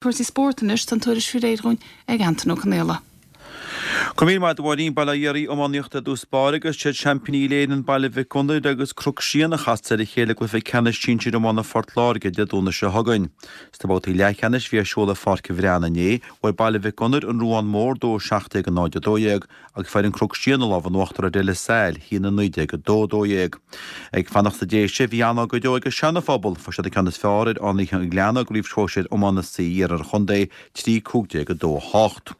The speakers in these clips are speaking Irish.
Cúrsaí spóirt anois, tá an tuairisc faoi réir dhúinn ag Antain Ó Conaola. Go raibh míle maith agat a Mháirín, Bail ó Dhia oraibh, iománaíocht i dtús báire agus siad seaimpíní Uile-Éireann Baile Mhic Gonair agus Cnoc Síon a chastas ar a chéile i gcluiche ceannais sinsir iomána Phort Láirge Dé Domhnaigh seo chugainn. Sna babhtaí leathcheannais a bhí ar siúl i Pháirc an Bhreathnaigh inné, bhuaigh Baile Mhic Gonair an Ruán Mór 2-17 0-12 agus fuair an Cnoc Síon an lámh in uachtar ar De La Salle, 1-19 2-12. Ag fanacht sa Déise, bhí an-ádh go deo ag an Seana-Phobal, fuair siad an ceann is fearr ar Fhánaithe an Ghleanna i gCraobh Shóisir Iomána C Iarthar an Chontae, 3 15 2 8.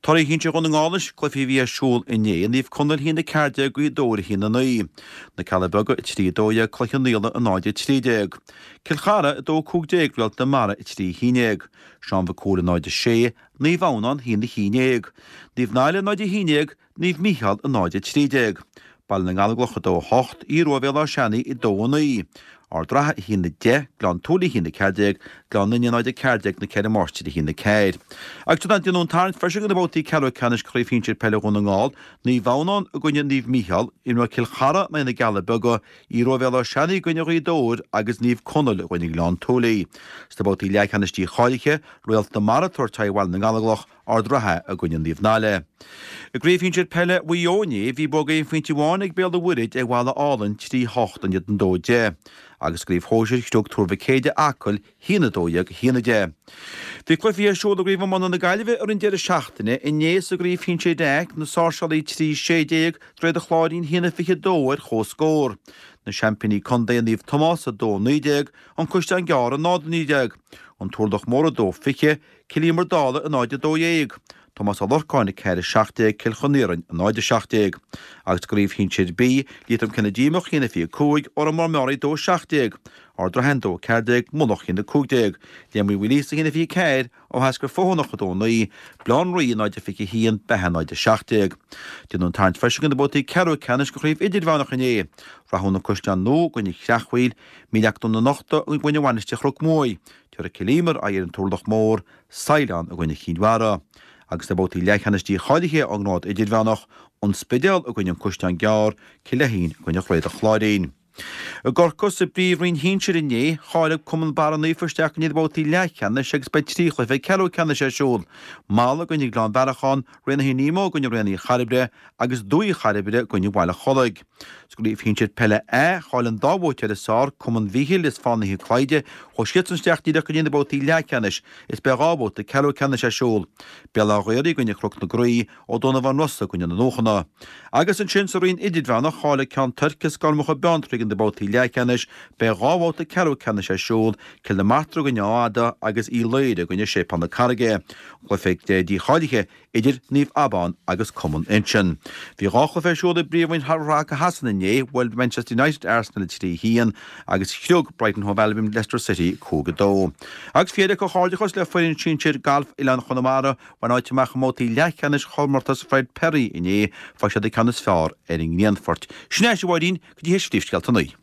Torthaí Shinsir Dhún na nGall anois, cluichí a bhí ar siúl inné, Naomh Conaill 1 14 Gaoth Dobhair 1 9. Na Cealla Beaga 3 12 Cloich Cheann Fhaola 0 13. Cill Chartha 2 15 Réalt na Mara 3 11. Seán Mhic Cumhaill 0 6, Naomh Adhamhnáin 1 11, Naomh Naile 0 11, Naomh Mícheál 0 13, Baile na nGallóglach 2 8, Aodh Rua Bhéal Átha Seanaidh 2 9, Ard an Rátha 1 10, Gleann tSúilí 1 14, Gleann Fhinne 0 14, Na Ceithre Máistrí 1 4. Agus déanadh an tarraingt freisin do na babhtaí ceathrú ceannais Craobh Shinsir Peile Dhún na nGall, Naomh Adhamhnáin i gcoinne Naomh Mícheál, imreoidh Cill Chartha in aghaidh na gCealla Beaga, Aodh Rua Bhéal Átha Seanaidh i gcoinne Ghaoth Dobhair agus Naomh Conaill i gcoinne Ghleann tSúilí. Sna babhtaí leathcheannais dícháilithe, Réalt na Mara ag tabhairt aghaidh Bhaile na nGallóglach, Ard an Rátha i gcoinne Naomh Naile. I gCraobh Shinsir Peile Mhaigh Eo inné, bhí bua aon phointe amháin ag Béal an Mhuirthead ar Bhaile Álainn, 3 8 in éadan 2 10. Agus i gCraobh Shóisir, scrios Tuar Mhic Éadaigh Acaill, 1 12 1 10. Bhí cluichí ar siúl i gCraobh Iomána na Gaillimhe ar an deireadh seachtaine inné sa gCraobh Shinsir A, Na Sáirséalaigh 3 16, Droichead an Chláirín 1 22 ar comhscór. Na seaimpíní contae Naomh Tomás 2 19, An Caisleán Gearr 0 19, An Turlach Mór 2 20, Cill Íomair Dálaigh 0 12, Tomás Ó Lorcáin 4 17, Cill Chon Iarainn 0 17. Agus i gCraobh Shinsir B, Liatroim Cionn na Díomach 1 25, Órán Mór Meáraí 2 17, Ard an Rátha 2 14, Mullach 1 15, Léim Uí Mhaoilíosa 1 24, Áth Eascair Feothanach 2 9, Baile Átha an Rí 0 21, Beatha 0 17. Déanadh an tarraingt freisin do na babhtaí ceathrú ceannais de chraobh idirmheánach inné. Rathún An Caisleán Nua i gcoinne Chreachmhaoil, Míl Each Dún na Nochta i gcoinne Mhainistir Chnoc Muaidh, Tabharfaidh Cill Íomair aghaidh ar an Turlach Mór, Saighleán i gcoinne Chinn Mhara. Agus sna babhtaí leathcheannais dícháilithe ón ngrád idirmheánach, An Spidéal i gcoinne An Caisleán Gearr, Cill Fheichín i gcoinne Dhroichead an Chláirín. I gCorcaigh, sa bPríomhroinn Shinsir inné, cháiligh Cumann Barra Naofa isteach go dtí na babhtaí leathcheannais agus beidh 3 chluiche ceathrú ceannais ar siúl, Mala i gcoinne Ghleann Bhearacháin, Raonaithe Nemo i gcoinne Raonaithe Chairbre agus Dumhaigh Chairbre i gcoinne Bhaile Chollaigh. Sa gCraobh Shinsir Peile A, cháiligh an dá bhuaiteoir is fearr, Cumann Mhíchíl is Fánaithe Clyde, chuaigh siadsan isteach díreach go dtí na babhtaí leathcheannais is beidh 2 bhabhta ceathrú ceannais ar siúl, Béal Átha Ghaorthaidh i gcoinne Chnoc na Graí, Ó Donnabháin Rosa i gcoinne na Luachanna. Agus ansin sa roinn idirmheánach, cháiligh Ceann Toirc is Gormacha Beanntraí go na babhtaí leathcheannais, beidh 2 bhabhta ceathrú ceannais ar siúl, Cill na Martra i gcoinne Áth Fhada agus Uí Laoghaire i gcoinne Séipéal na Carraige. Cluiche dícháilithe idir Naomh Abán agus Cumann Uinseann. Bhí 2 chluiche ar siúl i bPríomhroinn Haca Shasana inné, bhuail Manchester United Arsenal 3-1 agus chriog Brighton Hove Albion Leicester City 5-2. Agus faoi dheireadh comhghairdeachas le foireann sinsir Galf Oileán Chonamara, Bhain áit amach i mbabhtaí leathcheannais chomórtas Fred Perry inné, fuair siad an ceann is fearr ar an nGrianfort. Sin é, a Mháirín, go dtí théis phríomhscéalta a naoi.